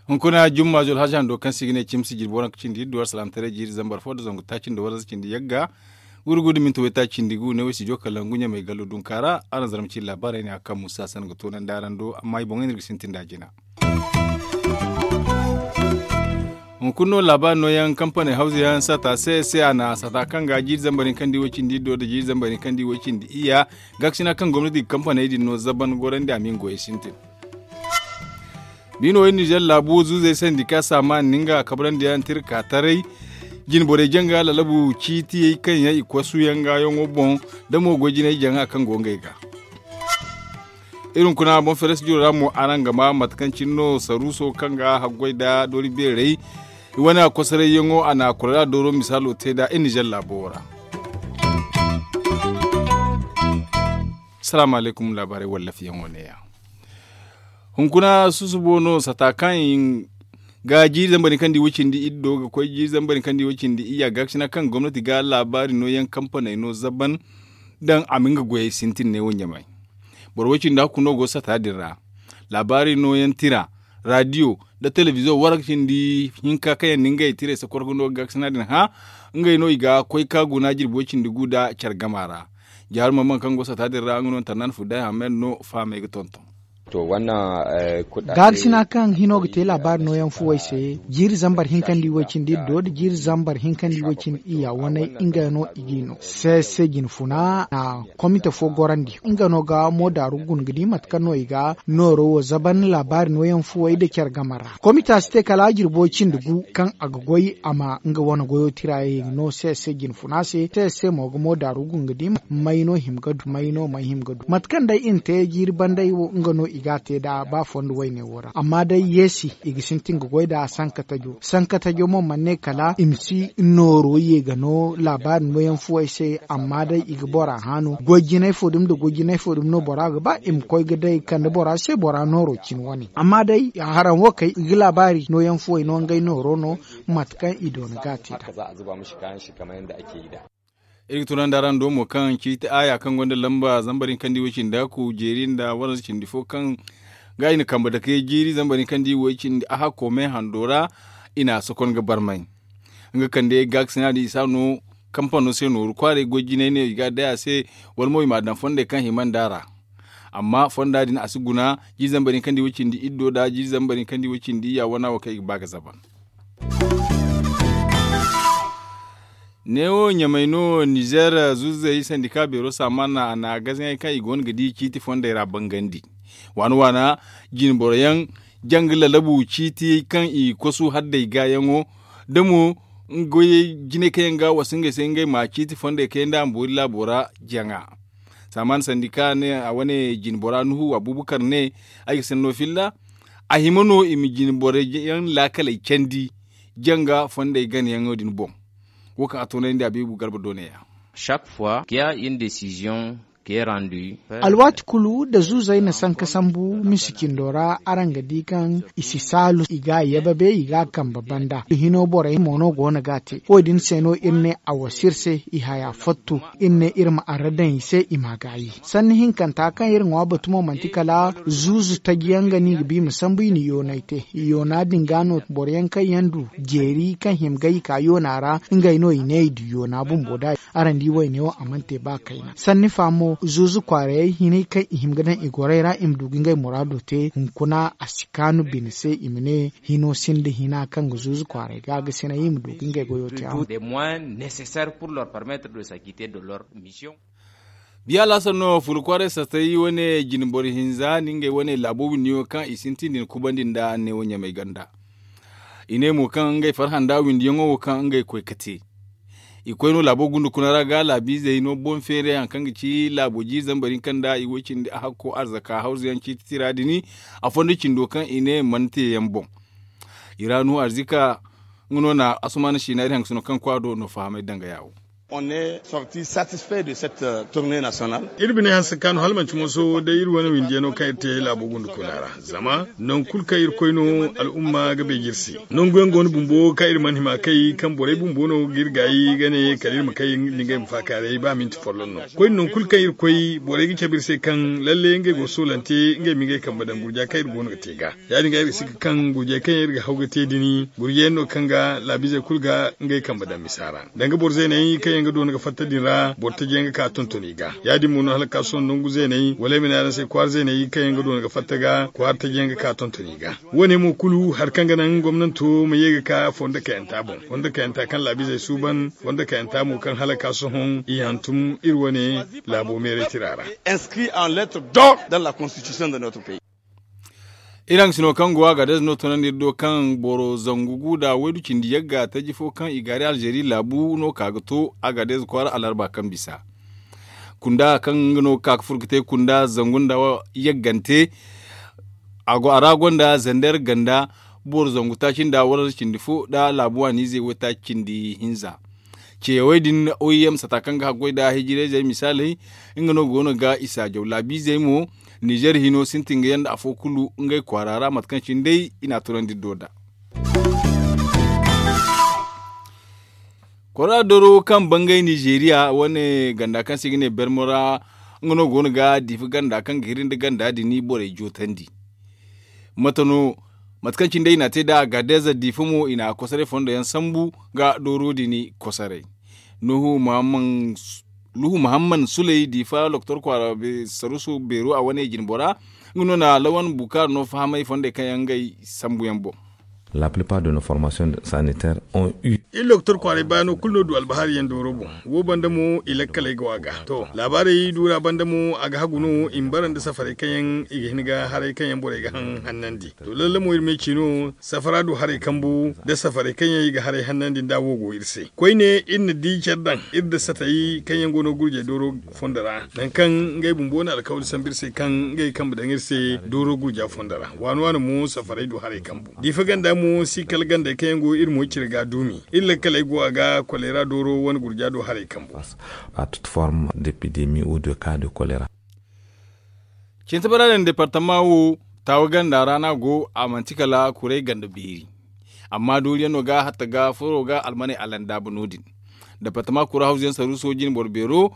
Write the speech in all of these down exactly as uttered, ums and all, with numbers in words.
Hunkuna jumma zol haza hando kaŋ se i ga ne cimsi jirbi waranka cindi iddu war salaamataray jiiri zambar fo nda zangu taaci nda waranza cindi yagga. Gurgu nda minti waytaaci cindi gu ne wo i si jo kala ngu ɲamay gallo dunka ra. Araŋ zarma ci laabaarey ne a kaŋ musa sanda ga toonandi araŋ do amma i boŋey no iri ga sintin nd'a jina. Hunkuna no laabaari nooyaŋ kampaney hawza yaŋ sata se se a na sata kaŋ ga jiiri zambar hinka nda i way cindi iddo nda jiiri zambar hinka nda i way cindi iyya. Gaakasina kaŋ gomnati ga kampaney din no zaban gorandi a ma i nga goyey sintin. Biino way nizer laabu zuuzey sandika saamaan ni nga kabrandi yaŋ tira ka taray. Jinborey janga lalabu ciitiyey kaŋ yaŋ i kosu yaŋ ga yaŋo boŋ da mo goy jinay jaŋa kaŋ go ngey ga. Iri hunkuna boŋ feres jiro ra mo araŋ ga ma mate kaŋ cine no saruuso kaŋ ga haggoy nda doori beerey i wane a kosoray yaŋo a na a kora da dooro misaalo te nd'a iri nizer laabo wo ra. Salaamu alaykum laabaarey wallafiyaŋo neeya. Hunkuna susubo no sata kaŋ i ga jiiri zambar hinka nda i way cindi iddo ga koy jiiri zambar hinka nda i way cindi iyya gaakasina kaŋ gomnati ga laabaari nooyaŋ kampaney no zaban daŋ a ma nga goyey sintin ne wo ɲamay. Boro way cindi hakku no go sata din ra. Laabaari nooyaŋ tira, raadiyo, nda telebiziyoŋ waranka cindi hinka kaŋ yaŋ na ngey tirey sakorga no gaakasina din hã. Ngey no i ga koy ka guna jirbi way cindi gu nda care gama ra. Jaaru mamman kaŋ go sata din ra nga no tarnan fuday hamed no fahamey ga tonton. Gaari sina kaŋ hino ga te laabaari nooyaŋ fuwey se jiiri zambar hinka nda i way cindi iddo nda jiiri zambar hinka nda i way cindi iyya wane nga no i g'i no se se jinfuna na komite fo gorandi nga no ga moodaaru guna ga di mate kaŋ no i ga nooro wo zaban laabaari nooyaŋ fuwey nda care game ra. Komita si te kala jirbo cindi gu kaŋ a ga goy a ma nga wane goyo tira ye no se se jinfuna se se se mo ga moodaaru guna ga di may no hima ga du may no may hima ga du mate kaŋ day i na te jiiri banday wo nga no i ga a te nd'a ba fondo wayne wo ra amma day yeesi i ga sintin ga goy nd'a sankatajo sankatajo mo mana ne kala i ma si nooro ye ga no laabaari nooyaŋ fuwey se amma day i ga bora hã no goy jinay fo dumi nda goy jinay fo dumi no bora ga ba i ma koy ga day kande bora se bora nooro cine wane amma day haraŋ wo kay i ga laabaari nooyaŋ fuwey no ngey nooro no mate kaŋ i doona ga a te nd'a. Iri ga tunandi araŋ do mo kaŋ ciiti aaya kaŋ gonda lamba zambar hinka nda i way cindi aku jeeri nda waranza cindi fo kaŋ ga i na kambe dake jiiri zambar hinka nda i way cindi a hakko me hando ra i na a sokon ga barmay. Nga kande gaakasina din i si a no kampano se nooru kwaaray goy jinay ne i ga a day a se wala mo i m'a daŋ fondey kaŋ hima nd'a ra. Amma fonda din a si guna jiiri zambar hinka nda i way cindi iddo nda jiiri zambar hinka nda i way cindi iyya wana wo kaŋ i ga ba ga zaban. Neewo ɲamay no nizer zuuzey sandika beero saamaana a na gazaŋey kaŋ i go no ga di ciiti fondey ra bangandi. Waana waana jinboro yaŋ janga lalabu ciiti kaŋ i kosu haddey gaayaŋo da mo goyey jinay kaŋ yaŋ ga a wasa ngey se ngey ma ciiti fondey kayandi a ma boori laabo ra jaŋa. Saamaan sandika ne a wane jinbora nuhu abuubakar ne ay ga sinda no filla a hima no i ma jinboro yaŋ laakaley candi janga fondey ganayaŋo din boŋ. Wo kaŋ a toonandi abiibu garba doone ya. Chaque fois qu'il y a une décision qui est rendue. Alwaati kulu nda zuuzey na sanka sambu misi cindo ra araŋ ga di kaŋ i si saalu i ga a yababe i ga a kambe banda i hino borey mo no go no ga a te wo- din se no iri ne a wasa iri se i haya fattu iri ne iri ma arra daŋ i se i m'a gaayi. Sanni hinkanta kaŋ iri ŋwa batu mo manti kala zuuzu taji yaŋ ga no i ga ba i ma sambu i na yoonay te. Yoona din ga no boro yaŋ kaŋ yaŋ du jeeri kaŋ hima ga i ka yoona ra ngey no i ne i du yoona bumbo da. Araŋ di wayne wo a mana te ba kayna sanni fa mo zuuzu kwaarayey hinay kaŋ i hima ga daŋ i gorey ra i ma du ga ngey muraado te hunkuna a si kaanu bine se i ma ne hino sinda hina kaŋ ga zuuzu kwaaray ga ga sinay i ma du ga ngey goyo te. Biya laasar no furu kwaaray satay wane jinboro hinza nda ngey wane laabo windiyaŋo kaŋ i sintin din kubandi nda anneewo ɲamay ganda. I ne mo kaŋ ngey farhã nda windiyaŋo wo kaŋ ngey koy ga te. I koy no laabo gunda kuna ra ga laabiizey no boŋ feeray haŋ kaŋ ga ci laabo jiiri zambar hinka nda i way cindi a hakko arzaka hawzuyaŋ ciiti tira din. A fondo cindo kaŋ i ne mana te yaŋ boŋ. I ra nuhu arzika nga no na asumaana siina iri haŋ ga sino kaŋ kwaado no fahamay danga yaawo. Iri bine hanse kaanu hala manti mooso day iri wane windiyaŋo kaŋ iri te laabo gundu kuna ra. Zama nangu kulu kaŋ iri koy no al'umma ga beeje iri se. Nangu yaŋ go no bumbo kaŋ iri mana hima kay kaŋ borey bumbo no ga iri gaayi ga ne kala iri ma kay nda ngey ma faakaaray ba minti folloŋ no. Koyne nangu kulu kaŋ iri koy borey ga cabe iri se kaŋ lalle ngey go ga soolante ngey ma ngey kambe daŋ gurja kaŋ iri go no ga te ga. Ya- din ga iri ga si ga kaŋ gurjey kaŋ yaŋ iri ga haw ga te din gurjey yaŋ no kaŋ ga laabiizey kulu ga ngey kambe daŋ misa ra. Danga boro zeeney kaŋ yaŋ ga doona ga fatta din ra boro taji yaŋ ga ka tonton i ga. Ya- din mo no hala ga ka sohõ nangu zeeney wala ay ma ne araŋ se kwaara zeeney kaŋ yaŋ ga doona ga fatta ga kwaara taji yaŋ ga ka tonton i ga. Wo- ne mo kulu hari kaŋ ga naŋ gomnanto ma ye ga ka fondo kayanta boŋ, fondo kayanta kaŋ laabiizey suuban, fondo kayanta mo kaŋ hala ga ka sohõ i hantum iri wane laabo meeray tira ra. Inscrit en lettre d'or dans la constitution de notre pays. Iraŋ sino kaŋ go a ga deza no tunandi iri do kaŋ boro zangu gu nda waydu cindi yagga taji fo kaŋ i gaari alzeeri laabu no ka ga to a ga deza kwaara alarba kaŋ bisa kunda kaŋ nga no ga ka ga furo ga te kunda zangu nda yaggante. A ra gonda zander ganda boro zangu taaci nda waranza cindi fo nda laabu waaniizey waytaaci cindi hinza. Ceyawey din oim sata kaŋ ga haggoy nda hijirayzey misaaley nga no go no ga i saajaw laabiizey mo. Nizer hino sintin ga yanda afo kulu ngey kwaara ra mate kaŋ cine day i na a tunandi iri do nd'a. Kwaara doro kaŋ bangay nizeeriya wane ganda kaŋ se i ga ne bermo ra nga no go no ga diifa ganda kaŋ ga hiri nda ganda din borey jootandi. Mate no mate kaŋ cine day i na a te nd'a a ga deeza diifa mo i na kosoray fondo yaŋ sambu ga dooro din kosoray. Nuhu muhamman suley diifa loktor kwaara saruuso beero a wane jinbora nga no na lawan bukaara no fahamay fondey kaŋ yaŋ ngey sambu yaŋ boŋ. La plupart de nos formations sanitaires ont eu. Iri loktor kwaaray baano kulu no du albahari yaŋ dooro boŋ. Wo banda mo i lakkaley go a ga to laabaarey duura banda mo a ga hagu no i ma bara nda safaray kaŋ yaŋ i ga hin ga haray kaŋ yaŋ borey ga haŋ hannandi. To lalle mo iri ma ay ci no safara du haray kambu nda safaray kaŋ yaŋ i ga haray hannandi nda wo go iri se koyne iri na di care daŋ iri nda satay kaŋ yaŋ go no gurjey dooro fondo ra nangu kaŋ ngey bumbo na alkawali sambu iri se kaŋ ngey kambe daŋ iri se dooro gurja fondo ra. Waani waani mo safaray du haray kambu diifa ganda mo si kala gandey kaŋ yaŋ go iri mo cire ga duumi. Iri lakkaley go a ga koleera dooro wane gurja do haray kambu. A toute forme d'épidémie ou de cas de choléra. Cintabara din departama wo taawa ganda ra no a go a manti kala kuray ganda beeri. Amma dooriyaŋ no ga hatta ga furo ga almaney alanda ba no- din. Departama kura hawzuyaŋ saruuso jine boro beero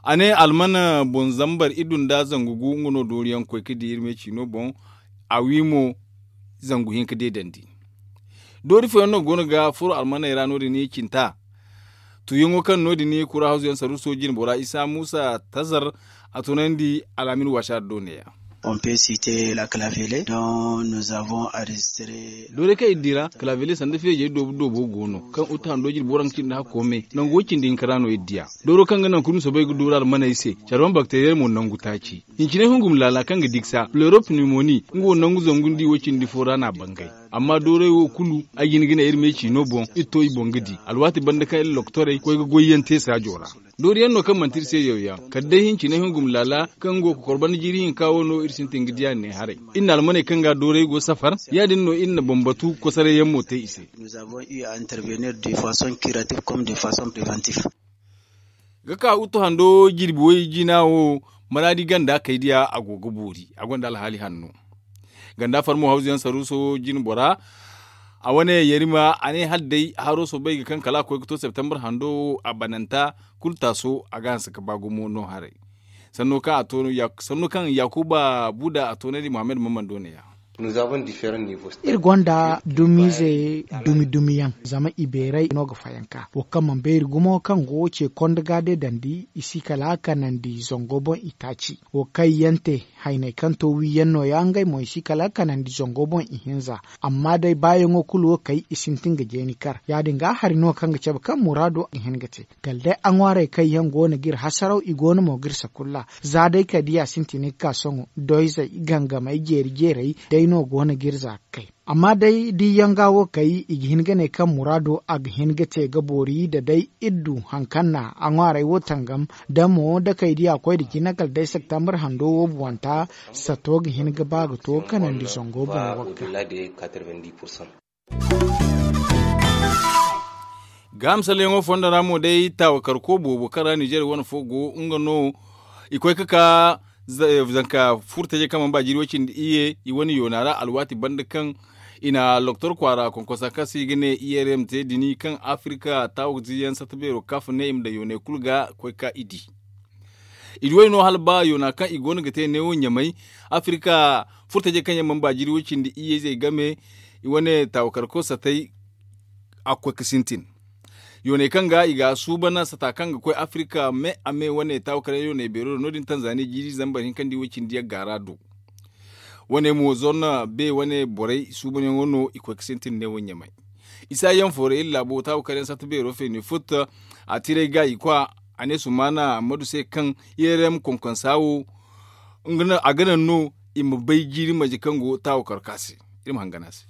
a ne almana boŋ zambar iddu nda zangu gu nga no dooriyaŋ koy ga di iri me ciino boŋ. A wi mo zangu hinka deedandi. Doori fooyaŋ no go no ga furo almaney ra no- din cinta. Tuuyaŋo kaŋ no- din kura hawzuyaŋ saruuso jine bora isa muusa tazar a tunandi al'amin waasa do neeya. Dooray kaŋ iri di ra kalaabele sanda feejey doobu doobo go no kaŋ utu hando jirbi waranka cindi hakko me nangu way cindi hinka ra no iri di a. Dooro kaŋ ga naŋ kulu ma soobay ga dooru almaney se care wane bakteriyey mo nangu taaci. Hincine hungum laala kaŋ ga digsa pleuropneumonie nga wo nangu zangu nda i wo cindi fo ra no a bangay. Amma dooray wo kulu ay ga hin ga ne iri me ciino boŋ iri to i boŋ ga di alwaati banda kaŋ iri lokotorey koy ga goyyaŋ te saajo ra. Dooriyaŋ no kaŋ manti iri se yawyaŋ kala day hincine hungum laala kaŋ go ga kokorbanda jiiri hinka wo no iri sintin ga di a ne haray. Iri na almaney kaŋ ga dooray go safar ya- din no iri na bambatu kosoray yaŋ mo te i se. Ga ka utu hando jirbi way jina wo maraadi ganda kay diya a go ga boori a gonda alhaali hanno. Ganda farmo hawzuyaŋ saruuso jine bora a wane yarima a ne hala day haro soobay ga kaŋ kala a koy ga to septembre hando wo a bananta kulu taaso a ga hanse ga ba gumo no haray. Sanno kaŋ yakuba buda a toonandi muhammad mammando neeya. Iri gonda dumiize dumi dumi yaŋ zama i beeray no ga fayanka wo kaŋ mana beeri gumo kaŋ go ce konda ga deedandi i si kala kanandi zango boŋ i taaci. Wo kaŋ yaŋ te hayney kaŋ to wiiyaŋ nooya ngey mo i si kala kanandi zango boŋ ihinza. Amma day baayaŋo kulu wo kay i sintin ga jeeni kar ya- din ga hari no kaŋ ga cabe kaŋ muraado ga hin ga te. Kala day a ŋwaarey kaŋ yaŋ go no ga iri hasaraw i go no mo ga iri sakulla. Za day kay da ya sintin ga ka sohõ doyzey gangamey jeeri jeerey day no go no ga iri za ga kay. Amma day da i yaŋ ga wo kay i ga hin ga ne kaŋ muraado a ga hin ga te ga boori da day iri du hari kaŋ na a ŋwaarey wo tangam da mo da kay da ya koy nda cine kala day septembre hando wo buwanta. Sato ga hin ga ba ga to kanandi zango boŋ wagga. Gaaham salleyaŋo fondo ra mo day taawakarko boobo kaŋ ra ninzeer wane fo go nga no. I koy ga ka zanka furtajey kaŋ mana ba jiiri way cindi iyye i wane yoona ra alwaati banda kaŋ i na loktor kwaara konkonsa kaŋ se i ga ne i r m te dini kaŋ afirika taawa ziiyaŋ satta beero kaaf ne i ma daŋ yooney kulu ga koy ga ka i di. I di way no hala ba yoona kaŋ i go no ga te neewo ɲamay afirika furtajey kaŋ yaŋ mana ba jiiri way cindi iyye izey game i wane taawakarko sattey a ga koy ga sintin. Yooney kaŋ ga i ga suuban sata kaŋ ga koy afirika me a me wane taawakarey yooney beero do no- din tanzani jiiri zambar hinka nda i way cindi yagga ra do. Wane mo zorna be wane borey suubanyaŋo no i koy ga sintin neewo ɲamay. Isa yaŋ foora iri laabo taawakaryaŋ satta beero feeni futta a tiray ga i kwa a ne sumaana ammadu se kaŋ i r m konkonsa wo a ga naŋ no i ma bay jiiri marje kaŋ go taawakar ka se. Iri ma hangan a se.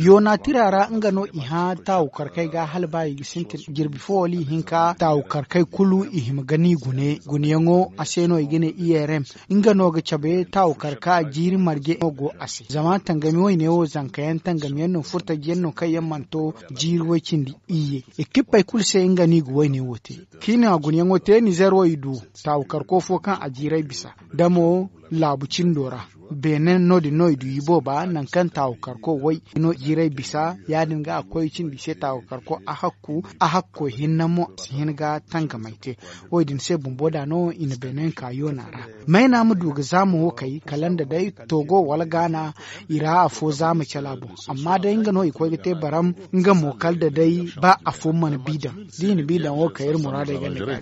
Yoona tira ra nga no i hã taawakar kaŋ ay ga hala ba i ga sintin jirbi fo wala i hinka taawakar kaŋ kulu i hima ga ni gune guneyaŋo a se no i ga ne i r m. Nga no ga cabe taawakar ka jiiri marje no go a se zama tangami wayne wo zanka yaŋ tangami yaŋ no furtaji yaŋ no kaŋ yaŋ mana to jiiri way cindi iyye. Ekippey kulu se nga no i ga wayne wo te kaŋ i na guneyaŋo te nizeer wo i du taawakar ko fo kaŋ a jiiray bisa da mo laabu cindo ra. Beene no- din no i du i booba nangu kaŋ taawakar ko way no jiiray bisa ya- din ga a ga koy cindi i se taawakar ko a hakku a hakko hinne mo a si hin ga tangamay te. Wo- din se bumbo da no i na beene ka yoona ra mayna ma du ga zaama wo kay kala nda day togo wala gaana i ra afo zaama cala boŋ. Amma day nga no i koy ga te baram nga mo kala da day ba afo mana bi daŋ da i na bi daŋ wo kay iri muraadey ga ne ga.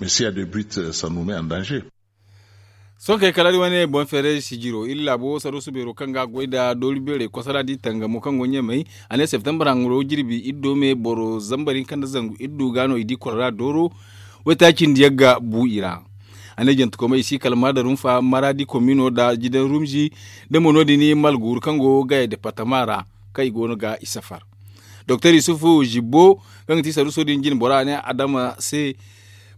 Sohõ kay kala iri wane boŋ feeray sijiro iri laabo saruusu beero kaŋ ga a goy nda doori beerey kosara da i tangamo kaŋ go ɲamay a ne septembar haŋ go jirbi iri do me boro zambar hinka nda zangu iri du ga no i di kolera dooro. Waytaaci nda yagga bu i ra. A ne jantekomey i si kala ma da rumfa maraadi komino nda jidan rumzi nda mo no- din malguuru kaŋ go gaya departama ra kaŋ i go no ga i safar. Doktor yusufu zibbo kaŋ ga ti saruuso din jine bora a ne adama se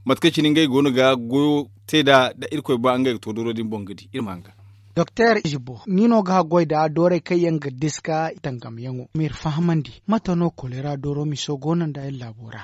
mate kaŋ cine ngey go no ga goyo te nd'a da irkoy ba ngey ga to dooro din boŋ ga di iri ma hanga. Doktor zibbo ni no ga haggoy nd'a doorey kaŋ yaŋ ga diska tangamyaŋo ma iri fahamandi mate no koleera dooro miso go no nda iri laabo ra?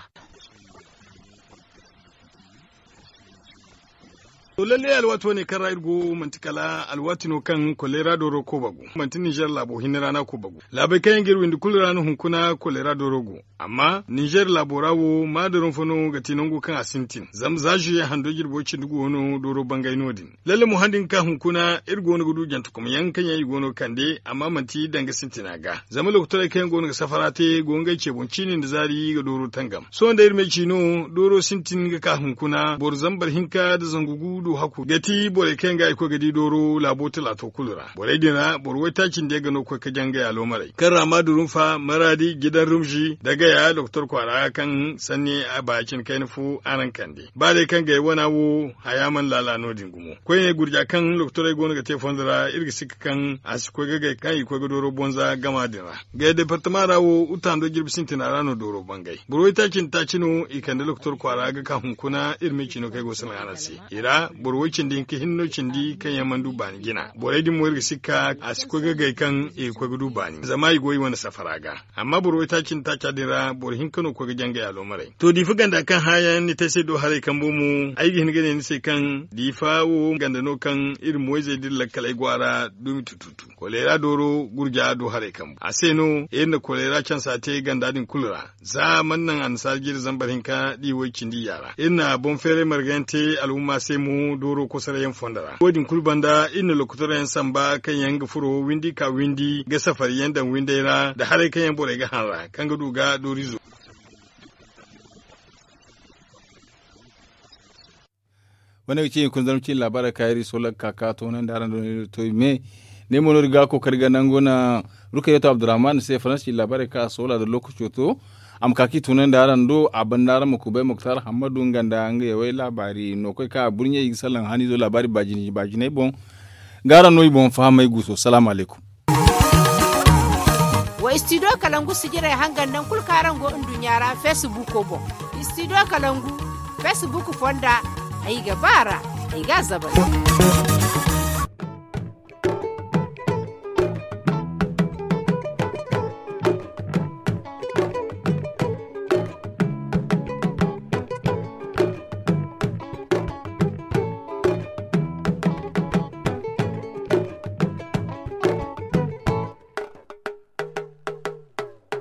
To lalle alwaati wane kaŋ ra iri go manti kala alwaati no kaŋ koleera dooro kooba go manti ninzeer laabo hinne ra no a kooba go. Laabey kaŋ yaŋ ga iri windi kulu ra no hunkuna koleera dooro go. Amma ninzeer laabo ra wo maadarun fo no ga ti nango kaŋ a sintin zama za zuye hando jirbo cindi go no dooro bangay no- din. Lalle mo han din ga ka hunkuna iri go no ga du jantekomyaŋ kaŋ yaŋ i go no ga kande amma manti danga sintina ga zama lokotorey kaŋ yaŋ go no ga safara te go ngey ce boŋ ciini nda zaari ga dooro tangam sohõ nda iri ma ay ci no dooro sintin ga ka hunkuna boro zambar hinka nda zangu gu du hakku ga ti borey kaŋ yaŋ ga i koy ga di dooro laabo talaato kulu ra borey din ra boro waytaaci nda yaŋ ga no ga koy ga jangay aloomarey kaŋ ra ma durunfa maraadi jidan rumzi nda gaya lokotor kwaara kaŋ sanni a ba cine kayna fo araŋ kande ba day kaŋ gay wana wo haya mana laala no- din gumo koyne gurja kaŋ lokotorey go no ga te fondo ra iri ga sikka kaŋ a si koy ga gay kaŋ i koy ga dooro bonza gama din ra. Gay departama ra wo uta hando jirbi sintina ra no dooro bangay boro waytaaci nda taaci no i kande lokotor kwaara ga ka hunkuna iri ma i cino kaŋ ay go ga salaŋ araŋ se i ra boro way cindi hinka hinne no cindi kaŋ yaŋ mana du baani jina borey din mo iri ga sikka a si koy ga gay kaŋ i ga koy ga du baani zama i go i wane safara ga. Amma boro waytaaci nda taaca din ra boro hinka no ga koy ga jangay aloomarey to diifa ganda kaŋ hã yaŋ ni te ay se do haray kambo mo ay ga hin ga ne ni se kaŋ diifa wo ganda no kaŋ iri moyzey da iri lakkaley go a ra dumi tututu koleera dooro gurja do haray kambo a se no iri na koleera cansa te ganda din kulu ra za a mana naŋ annasaara jiiri zambar hinka da i way cindi iyya ra iri na boŋ feeray marga yaŋ te alhumma se mo dooro kosoray yaŋ fondo ra wo- din kulu banda iri na lokotora yaŋ samba kaŋ yaŋ ga furo windi ka windi ga safari yaŋ daŋ windey ra nda haray kaŋ yaŋ borey ga hanra kaŋ ga du ga doorizo. Wane ga ci hunkuna zarma ciine laabaarey kaŋ iri soola ga ka ka toonandi araŋ do no iri to i me ne mo no iri ga kookari ga nangu na rukayatu abdurrahman se faransa ciine laabaarey kaŋ a soola nda lookaco to a ma ka ka i toonandi araŋ do a banda araŋ ma kubay muktar hammadu nga nda nga yawey laabaari no koy kaŋ a burɲey i ga salaŋ haniizo laabaari baajinay boŋ. Ga araŋ no i boŋ fahamay guuso salaamu alaykum. Wa istidiyo kalangu sijirey hangan naŋ kulu kaŋ araŋ go nduɲɲa ra feesibuuko boŋ. Istidiyo kalangu feesibuuko fonda ay ga ba a ra ay ga a zabay.